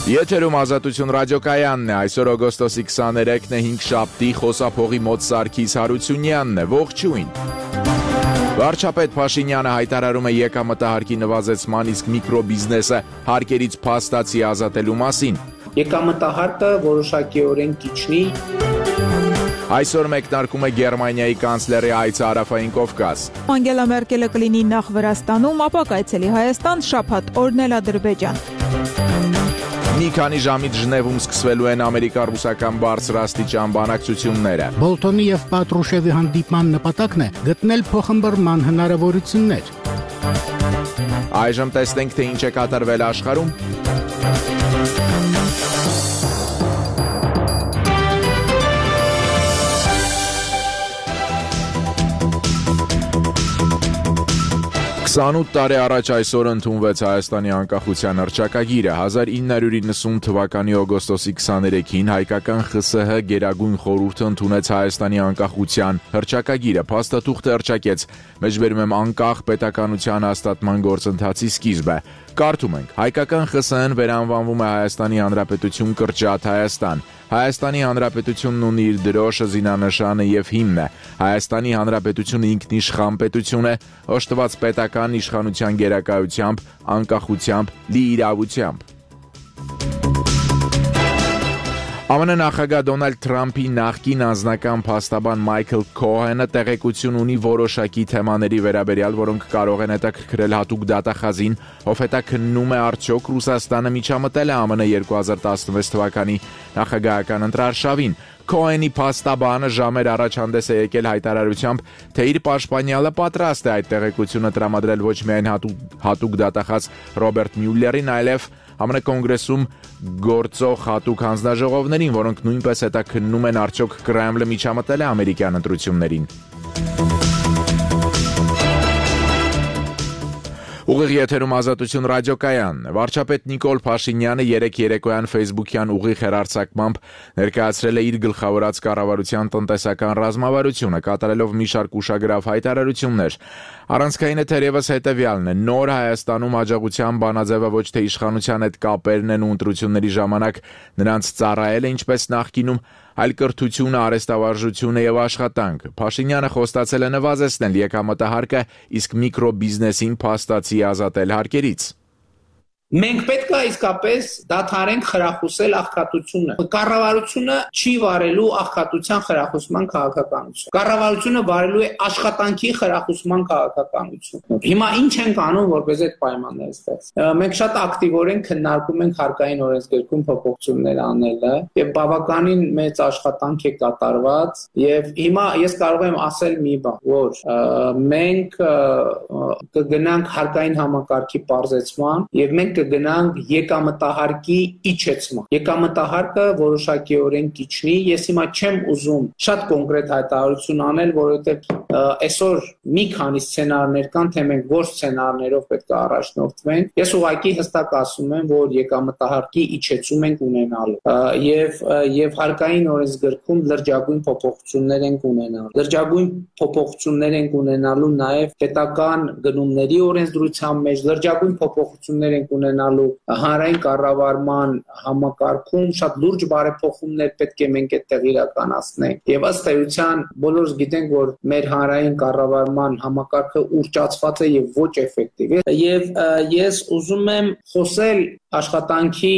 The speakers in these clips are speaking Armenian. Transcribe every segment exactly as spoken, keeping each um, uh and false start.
Եթերում Ազատություն ռադիոկայանն է, այսօր օգոստոսի քսաներեքն է, հինգշաբթի, խոսափողի մոտ Սարգիս Հարությունյանն է, ողջույն։ Վարչապետ Փաշինյանը հայտարարում է եկամտահարկի նվազեցման, իսկ միկրոբիզնեսը հարկերից փաստացի ազատելու մասին։ Եկամտահարկը որոշակիորեն կիչնի։ Այսօր մեկնարկում է Գերմանիայի կանցլերի այցը Հարավային Կովկաս։ Անգելա Մերկելը կլինի նախ Վրաստանում, ապա կայցելի Հայաստան, շաբաթ օրն էլ Ադրբեջան։ Մի քանի ժամից Ժնևում սկսվելու են ամերիկա-ռուսական բարձրաստիճան բանակցությունները։ Բոլթոնի եւ Պատրուշևի հանդիպման նպատակն է գտնել փոխըմբռնման հնարավորություններ։ Այժմ տեսնենք, թե ինչ է կատարվել աշխարհում։ քսանութ տարի առաջ այսօր ընդունվեց Հայաստանի անկախության հռչակագիրը։ հազար ինը հարյուր իննսուն թվականի օգոստոսի քսաներեքին հայկական ԽՍՀ Գերագույն խորհուրդը ընդունեց Հայաստանի անկախության հռչակագիրը։ Փաստաթուղթը հռչակեց, մեջբերում եմ անկախ պետականության հաստատման գործընթացի սկիզբը։ Կարդում ենք. հայկական ԽՍՀ-ն վերանվանվում է Հայաստանի Հանրապետություն կրճատ Հայաստան։ Հայաստանի Հանրապետությունն ունի իր դրոշը, զինանշանը եւ հիմնը։ Հայաստանի Հանրապետությունը ինքնիշխան պետություն է, օժտված պետական իշխանության գերակայությամբ, անկախությամբ, լիիրավությամբ։ ԱՄՆ նախագահ Դոնալդ Թրամփի նախկին անձնական փաստաբան Մայքլ Քոհենը տեղեկություն ունի որոշակի թեմաների վերաբերյալ, որոնք կարող են հետաքրքրել հատուկ դատախազին, ով հետաքննում է արդյոք Ռուսաստանը միջամտել է ԱՄՆ երկու հազար տասնվեց թվականի նախագահական ընտրարշավին։ Քոհենի փաստաբանը ժամեր առաջ հանդես է եկել հայտարարությամբ, թե իր պաշտպանյալը պատրաստ է այդ տեղեկությունը տրամադրել ոչ միայն հատուկ, հատուկ դատախազ Ռոբերտ Մյուլլերին, այլև ԱՄՆ կոնգրեսում գործող հատուկ հանձնաժողովներին, որոնք նույնպես հետաքննում են արդյոք Կրեմլը միջամտել է ամերիկյան ընտրություններին։ Ուղիղ եթերում Ազատություն ռադիոկայանն է։ Վարչապետ Նիկոլ Փաշինյանը երեկ երեկոյան Facebook-յան ուղիղ հեռարձակմամբ ներկայացրել է իր գլխավորած կառավարության տնտեսական ռազմավարությունը, կատարելով մի շարք ուշագրավ հայտարարություններ։ Առանցքայինը թերևս հետևյալն է. նոր Հայաստանում աջակցության բանաձևը ոչ թե իշխանության հետ կապերն են ու ընտրությունների ժամանակ նրանց ծառայել է ինչպես նախկինում, այլ կրթությունը, արհեստավարժությունը եւ աշխատանքը։ Փաշինյանը խոստացել է նվազեցնել եկամտահարկը, իսկ միկրոբիզնեսին փաստացի ազատել հարկերից։ Մենք պետք է իսկապես դադարենք խրախուսել աղքատությունը։ Կառավարությունը չի վարելու աղքատության խրախուսման քաղաքականություն։ Կառավարությունը վարելու է աշխատանքի խրախուսման քաղաքականություն։ Հիմա ինչ ենք անում, որպես այդ պայմանները ստեղծվեն։ Մենք շատ ակտիվորեն քննարկում ենք հարկային օրենսգրքում փոփոխություններ անելը եւ բավականին մեծ աշխատանք է կատարված եւ հիմա ես կարող եմ ասել մի բան, որ մենք կգնանք հարկային համակարգի պարզեցման եւ մենք կգնանք եկամտահարկի իջեցման։ Եկամտահարկը որոշակիորեն կիչնի։ Ես հիմա չեմ ուզում շատ կոնկրետ հայտարարություն անել, որովհետև այսօր մի քանի սցենարներ կան, թե մենք ոչ սցենարներով պետք է առաջնորդվենք։ Ես ուղղակի հստակ ասում եմ, որ եկամտահարկի իջեցում ենք ունենալու եւ եւ հարկային օրենսգրքում լրջագույն փոփոխություններ ենք ունենալու։ Լրջագույն փոփոխություններ ենք ունենալու նաեւ պետական գնումների օրենսդրության մեջ, լրջագույն փոփոխություններ ենք ունենալու հանրային կառավարման համակարգում, շատ լուրջ բարեփոխումներ պետք է մենք այդտեղ իրականացնենք։ Եվ ըստ էության բոլորս գիտենք, որ մեր հանրային կառավարման համակարգը ուռճացված է եւ ոչ էֆեկտիվ է։ Եվ ես ուզում եմ խոսել աշխատանքի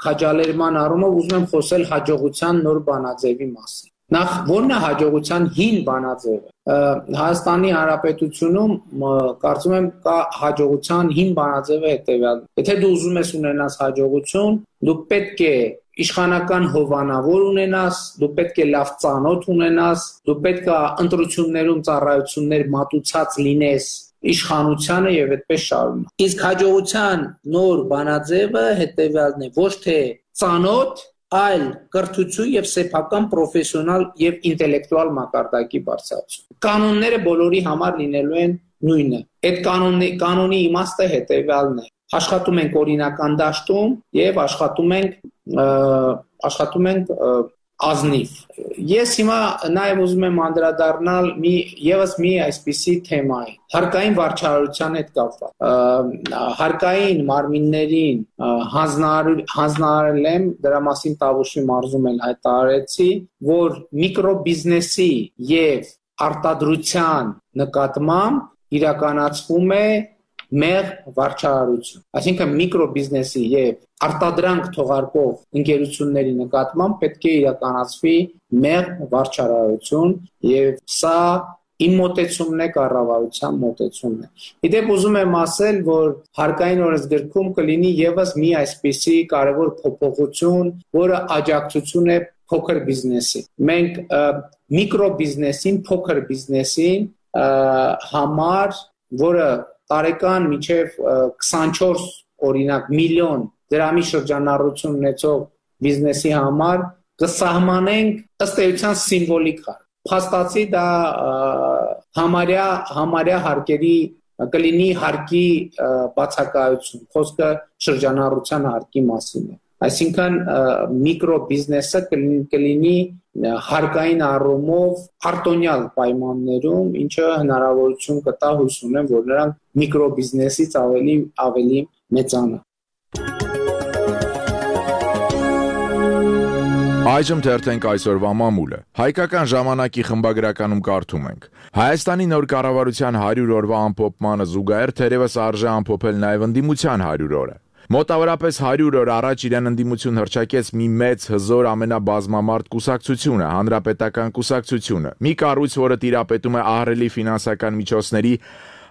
քաջալերման առումով, ուզում եմ խոսել հաջողության նոր բանաձևի մասին։ Նախ ո՞րն է հաջողության հին բանաձևը։ Հայաստանի Հանրապետությունում կարծում եմ կա հաջողության հին բանաձևը հետևյալն։ Եթե դու ուզում ես ունենաս հաջողություն, դու պետք է իշխանական հովանավոր ունենաս, դու պետք է լավ ծանոթ ունենաս, դու պետք է ընտրություններում ծառայություններ մատուցած լինես իշխանությանը եւ այդպես շարունակ։ Իսկ հաջողության նոր բանաձևը հետևյալն է. ոչ թե ծանոթ, այլ կրթություն եւ սեփական պրոֆեսիոնալ եւ ինտելեկտուալ մակարդակի բարձրացում։ Կանոնները բոլորի համար լինելու են նույնը։ Այդ կանոնի կանոնի իմաստը հետևյալն է. աշխատում ենք օրինական դաշտում եւ աշխատում ենք աշխատում ենք ազնիվ։ Ես հիմա նաև ուզում եմ անդրադառնալ մի եւս մի այսպիսի թեմայի՝ հարկային վարչարարության հետ կապված։ Հարկային մարմիններին հանձնարարել եմ, դրա մասին Տավուշի մարզում էլ հայտարարեցի, որ միկրոբիզնեսի եւ արտադրության նկատմամբ իրականացվում է մեր վարչարարություն, այսինքն միկրոբիզնեսի եւ արտադրանք թողարկող ընկերությունների նկատմամբ պետք է իրականացվի մեր վարչարարություն եւ սա իմ մոտեցումն է, կառավարության մոտեցումն է։ Իդեպ ուզում եմ ասել, որ հարկային օրենսգրքում կլինի եւս մի այսպիսի կարևոր փոփոխություն, որը աջակցություն է փոքր բիզնեսին։ Մենք միկրոբիզնեսին, փոքր բիզնեսին համար, որը տարեկան մինչև քսանչորս օրինակ միլիոն դրամի շրջանառություն ունեցող բիզնեսի համար կսահմանենք ըստ էության սիմվոլիկ հարկ։ Փաստացի դա համարյա համարյա հարկերի կլինի հարկի բացակայություն, խոսքը շրջանառության հարկի մասին է։ Այսինքն միկրոբիզնեսը կլինի հարկային առումով արտոնյալ պայմաններում, ինչը հնարավորություն կտա հույս ունեմ, որ նրանք միկրոբիզնեսից ավելի ավելի մեծանա։ Այժմ թերթենք այսօրվա մամուլը։ Հայկական ժամանակի խմբագրականում կարդում ենք. Հայաստանի նոր կառավարության հարյուր օրվա ամփոփմանը զուգահեռ թերևս արժե ամփոփել նաև ընդդիմության հարյուր օրը։ Մոտավորապես հարյուր օր առաջ իրեն ընդդիմություն հռչակեց մի մեծ հզոր ամենաբազմամարդ կուսակցությունը, հանրապետական կուսակցությունը, մի կառույց, որը տիրապետում է ահռելի ֆինանսական միջոցների,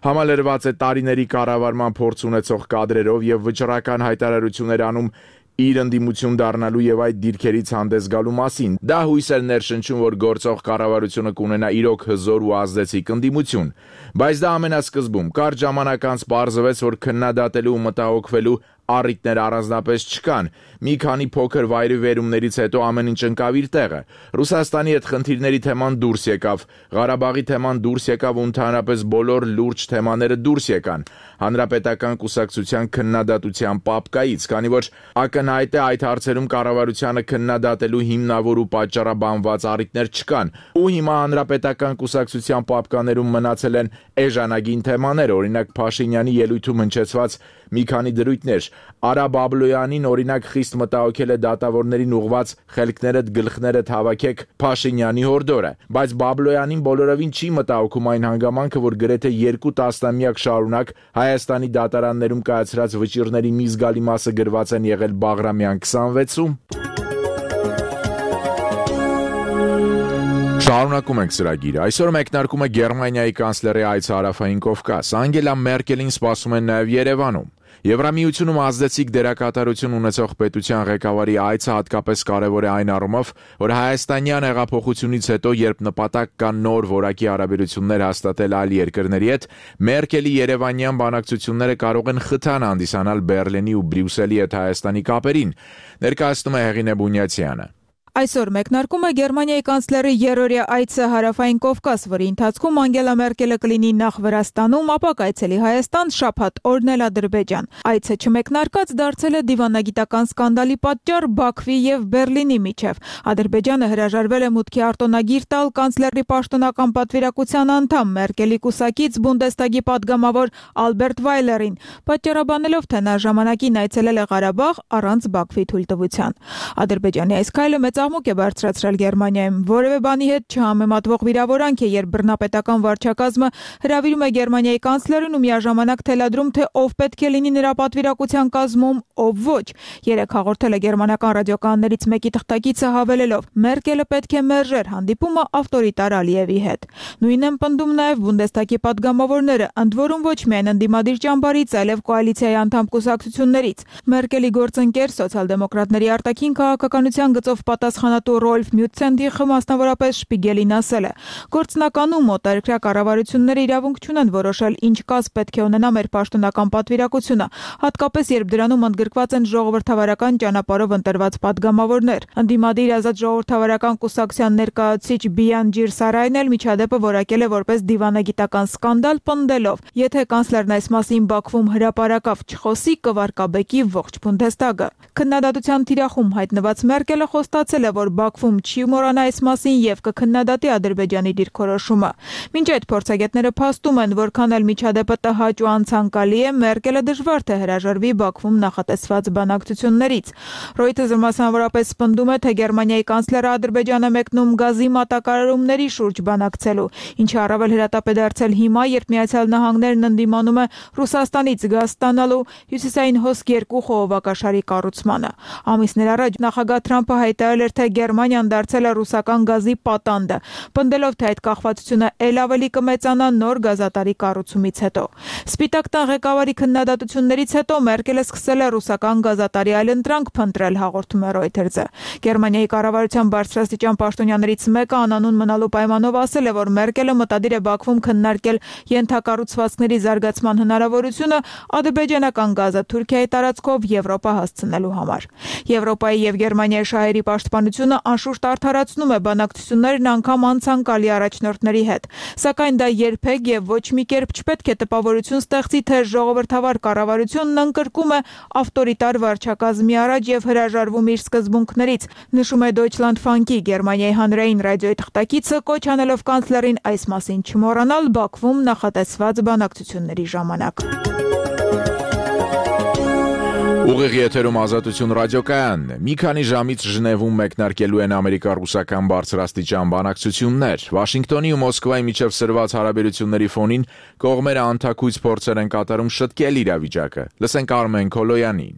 համալրված է տարիների կառավարման փորձ ունեցող կադրերով եւ վճռական հայտարարություններ անում իր ընդդիմություն դառնալու եւ այդ դիրքերից հանդես գալու մասին։ Դա հույս էր ներշնչում, որ գործող կառավարությունը կունենա իրոք հզոր ու ազդեցիկ ընդդիմություն, բայց դա ամենասկզբում կարճ ժամանակ անց պարզվեց, որ քննադատելու ու մտահոգվելու առիթներ առանձնապես չկան։ Մի քանի փոքր վայրիվերումներից հետո ամեն ինչ ընկավ իր տեղը։ Ռուսաստանի հետ խնդիրների թեման դուրս եկավ, Ղարաբաղի թեման դուրս եկավ ու ընդհանրապես բոլոր լուրջ թեմաները դուրս եկան հանրապետական կուսակցության քննադատության պապկայից, քանի որ ակնհայտ է այդ հարցերում կառավարությանը քննադատելու հիմնավոր ու պատճառաբանված առիթներ չկան, ու հիմա հանրապետական կուսակցության պապկաներում մնացել են էժանագին թեմաներ, օրինակ Փաշինյանի ելույթում հնչեցված մի քանի դրույթներ։ Արա Բաբլոյանին օրինակ խիստ մտահոգել է դատավորներին ուղված խելքներդ գլխներդ հավաքեք Փաշինյանի հորդորը, բայց Բաբլոյանին բոլորովին չի մտահոգում այն հանգամանքը, որ գրեթե երկու տասնամյակ շարունակ Հայաստանի դատարաններում կայացրած վճիռների մի զգալի մասը գրված են եղել Բաղրամյան քսանվեցում։ Շարունակում ենք ծրագիրը։ Այսօր մեկնարկում է Գերմանիայի կանցլերի այցը Հարավային Կովկաս։ Անգելա Մերկելին սպասում են նաև Երևանում։ Եվրամիությունում ազդեցիկ դերակատարություն ունեցող պետության ղեկավարի այցը հատկապես կարևոր է այն առումով, որ հայաստանյան հեղափոխությունից հետո, երբ նպատակ կա նոր որակի հարաբերություններ հաստատել այլ երկրների հետ, Մերկելի երևանյան բանակցությունները կարող են խթան հանդիսանալ Բերլինի ու Բրյուսելի հետ Հայաստանի կապերին, ներկայացնում է Հեղինե Բունյացյանը։ Այսօր մեկնարկում է Գերմանիայի կանցլերի երրորդյա այցը Հարավային Կովկաս, որի ընթացքում Անգելա Մերկելը կլինի նախ Վրաստանում, ապա կայցելի Հայաստան, շաբաթ օրն էլ Ադրբեջան։ Այցը չմեկնարկած դարձել է դիվանագիտական սկանդալի պատճառ Բաքվի եւ Բերլինի միջև։ Ադրբեջանը հրաժարվել է մուտքի արտոնագիր տալ կանցլերի պաշտոնական պատվիրակության անդամ Մերկելի կուսակից Բունդեստագի падգամավոր Ալբերտ Վայլերին, պատճառաբանելով, թե նա ժամանակին այցելել է Ղարաբաղ առանց Բաքվի թույլտվության։ Ադրբեջանի այս քայլը մեծ աղմուկ է բարձրացրել Գերմանիայում։ Որևէ բանի հետ չհամեմատվող վիրավորանք է, երբ բռնապետական վարչակազմը հրավիրում է Գերմանիայի կանցլերին ու միաժամանակ թելադրում, թե ով պետք է լինի նրա պատվիրակության կազմում, ով ոչ։ Երեկ հաղորդել է գերմանական ռադիոկաններից մեկի թղթակիցը հավելելով. Մերկելը պետք է մերժեր հանդիպումը ավտորիտար Ալիևի հետ։ Նույնն են պնդում նաև Բունդեստագի падգամավորները, ընդ որում ոչ միայն ընդդիմադիր ճամբարից, այլև կոալիցիայի անդամ կուսակցություններից։ Մերկելի գործընկեր սոցիալ-դեմոկրատների արտաքին քաղաքականության գծով պատասխանատու Ռոլֆ Մյուտցենդիխը մասնավորապես Շպիգելին ասել է. Գործնականում օտարերկրյա կառավարությունները իրավունք չունեն որոշել ինչ կազ պետք է ունենա մեր պաշտոնական պատվիրակությունը, հատկապես երբ դրանում ընդգրկված են ժողովրդավարական ճանապարհով ընտրված падգամավորներ։ Ընդդիմադիր ազատ ժողովրդավարական կուսակցության ներկայացուցիչ Բիանջիր Սարային էլ միջադեպը որակել է որպես դիվանագիտական սկանդալ, պնդելով. Եթե կանցլերն այս մասին Բաքվում հրապարակավ չխոսի, կվարկաբեկի ողջ Բունդեստագը։ Քննադատության թիրախում հայտնված Մերկելը խոստացել ասել է, որ Բաքվում չի մոռանա այս մասին եւ կքննադատի Ադրբեջանի դիրքորոշումը։ Մինչ այդ փորձագետները փաստում են, որքան էլ միջադեպը տհաճ ու անցանկալի է, Մերկելը դժվար թե հրաժարվի Բաքվում նախատեսված բանակցություններից։ Reuters-ը մասնավորապես պնդում է, թե Գերմանիայի կանցլերը Ադրբեջանը մեկնում գազի մատակարարումների շուրջ բանակցելու, ինչը առավել հրատապ է դարձել հիմա, երբ Միացյալ Նահանգներն ընդդիմանում է Ռուսաստանից գազ ստանալու հյուսիսային հոսք երկու խողովակաշարի կառուցմանը։ Ամիսներ առաջ նախագահ Թրամփը հայտարարել էր, թե Գերմանիան դարձել է ռուսական գազի պատանդը, պնդելով, թե այդ կախվածությունը ել ավելի կմեծանա նոր գազատարի կառուցումից հետո։ Սպիտակ տան ղեկավարի քննադատություններից հետո Մերկելը սկսել է ռուսական գազատարի այլընտրանք փնտրել, հաղորդում է Reuters-ը։ Գերմանիայի կառավարության բարձրաստիճան պաշտոնյաներից մեկը անանուն մնալու պայմանով ասել է, որ Մերկելը մտադիր է Բաքվում քննարկել ենթակառուցվածքների զարգացման հնարավորությունը ադրբեջանական գազը Թուրքիայի տարածքով Եվրոպա հասցնելու համար։ Եվրոպայի եւ Գերմանիայի շահերի պաշտպանությունը անշուշտ արդարացնում է բանակցություններն անգամ անցանկալի առաջնորդների հետ, սակայն դա երբեք եւ ոչ մի կերպ չպետք է տպավորություն ստեղծի, թե ժողովրդավար կառավարությունն ընկրկում է ավտորիտար վարչակազմի առաջ եւ հրաժարվում իր սկզբունքներից, նշում է Deutschland Funk-ի Գերմանիայի հանրային ռադիոյի թղթակիցը, կոչ անելով կանցլերին այս մասին չմոռանալ Բաքվում նախատեսված բանակցությունների ժամանակ։ Ուղիղ եթերում Ազատություն ռադիոկայանն է։ Մի քանի ժամից Ժնևում մեկնարկելու են ամերիկա-ռուսական բարձրաստիճան բանակցություններ։ Վաշինգտոնի ու Մոսկվայի միջև սրված հարաբերությունների ֆոնին կողմերը անթաքույց փորձեր են կատարում շտկել իրավիճակը։ Լսենք Արմեն Քոլոյանին։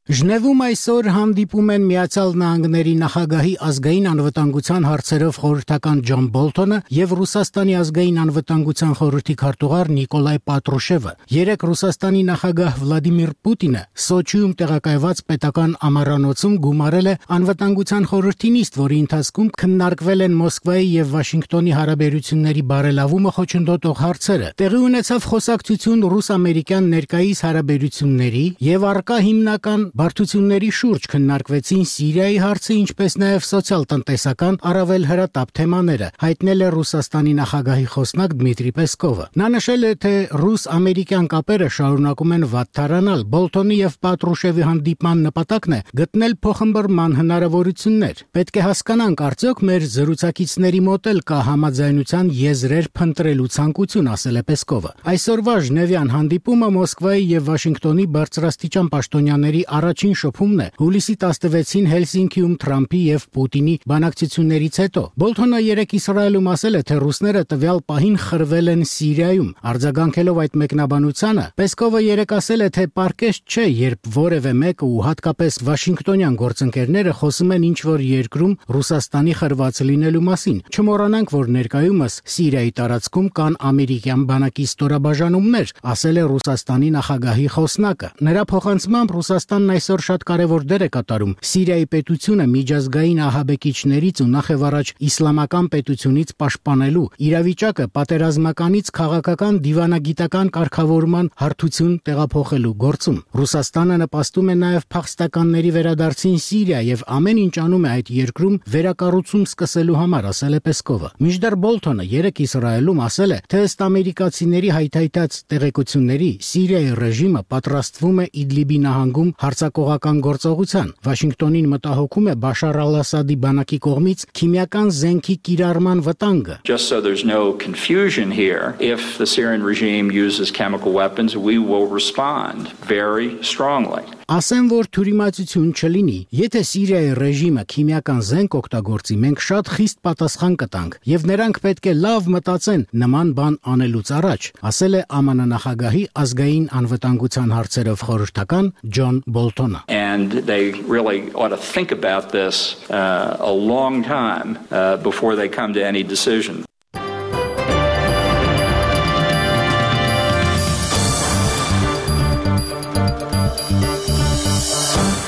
Ժնևում այսօր հանդիպում են Միացյալ Նահանգների նախագահի ազգային անվտանգության հարցերով խորհրդական Ջոն Բոլթոնը եւ Ռուսաստանի ազգային անվտանգության խորհրդի քարտուղար Նիկոլայ Պատրուշևը։ Երեկ Ռուսաստանի նախագահ Վլադիմիր Պուտինը Սոչիում տեղակայված պետական ամառանոցում գումարել է անվտանգության խորհրդի նիստ, որի ընթացքում քննարկվել են Մոսկվայի եւ Վաշինգտոնի հարաբերությունների բարելավումը խոչընդոտող հարցերը։ Տեղի ունեցավ խոսակցություն ռուս-ամերիկյան ներկայիս հարաբերությունների եւ առկա հիմնական բարդությունների շուրջ քննարկվեցին Սիրիայի հարցը, ինչպես նաև սոցիալ-տնտեսական առավել հրատապ թեմաները, հայտնել է Ռուսաստանի նախագահի խոսնակ Դմիտրի Պեսկովը։ Նա նշել է, թե ռուս-ամերիկյան կապերը շարունակում են վատթարանալ։ Բոլթոնի եւ Պատրուշևի հանդիպման նպատակն է գտնել փոխըմբռնման հնարավորություններ։ Պետք է հասկանանք, արդյոք մեր զրուցակիցների մոտ էլ կա համաձայնության եզրեր փնտրելու ցանկություն, ասել է Պեսկովը։ Այսօրվա Ժնևյան հանդիպումը Մոսկվայի եւ Վաշինգտոնի բարձրաստիճան պաշտոնյաների առաջին շփումն է հուլիսի տասնվեցին Հելսինկիում Թրամփի եւ Պուտինի բանակցություններից հետո։ Բոլթոնը երեկ Իսրայելում ասել է, թե ռուսները տվյալ պահին խրվել են Սիրիայում։ Արձագանքելով այդ մեկնաբանությանը, Պեսկովը երեկ ասել է, թե պարկեշտ չէ, երբ որևէ մեկը ու հատկապես վաշինգտոնյան գործընկերները խոսում են ինչ-որ երկրում Ռուսաստանի խրված լինելու մասին։ Չմոռանանք, որ ներկայումս Սիրիայի տարածքում կան ամերիկյան բանակի ստորաբաժանումներ, ասել է Ռուսաստանի նախագահի խոսնակը։ Նրա փոխանցմամբ Ռուսաստանն այսօր շատ կարևոր դեր է կատարում Սիրիայի պետությունը միջազգային ահաբեկիչներից ու նախևառաջ իսլամական պետությունից պաշտպանելու, իրավիճակը պատերազմականից քաղաքական դիվանագիտական կարգավորման հարթություն տեղափոխելու գործում։ Ռուսաստանը նպաստում է նաև փախստականների վերադարձին Սիրիա եւ ամեն ինչ անում է այդ երկրում վերակառուցում սկսելու համար, ասել է Պեսկովը։ Մինչդեռ Բոլթոնը երեկ Իսրայելում ասել է, թե ըստ ամերիկացիների հայթայթած տեղեկությունների Սիրիայի ռեժիմը պատրաստվում է Իդլիբի նահանգում հարձակողական գործողության։ Վաշինգտոնին մտահոգում է Բաշար al-Ասադի բանակի կողմից քիմիական զենքի կիրառման վտանգը։ Just so there's no confusion here, if the Syrian regime uses chemical weapons, we will respond very strongly. Ասեմ, որ թյուրիմացություն չլինի։ Եթե Սիրիայի ռեժիմը քիմիական զենք օգտագործի, մենք շատ խիստ պատասխան կտանք, եւ նրանք պետք է լավ մտածեն նման բան անելուց առաջ, ասել է ԱՄՆ նախագահի ազգային անվտանգության հարցերով խորհրդական Ջոն Բոլթոնը։ And they really ought to think about this uh, a long time uh, before they come to any decision.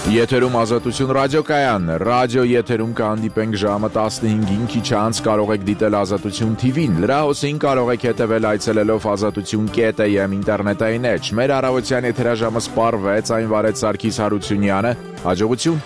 Եթերում Ազատություն ռադիոկայանն է։ Ռադիո եթերում կհանդիպենք ժամը տասնհինգին, քիչ անց կարող եք դիտել Ազատություն թի վին։ Լրահոսին կարող եք հետևել այցելելով ազատություն կետ է եմ ինտերնետային էջ։ Մեր առավոտյան եթերաժամը սպառվեց, այն վարեց Սարգիս Հարությունյանը։ Հաջողություն։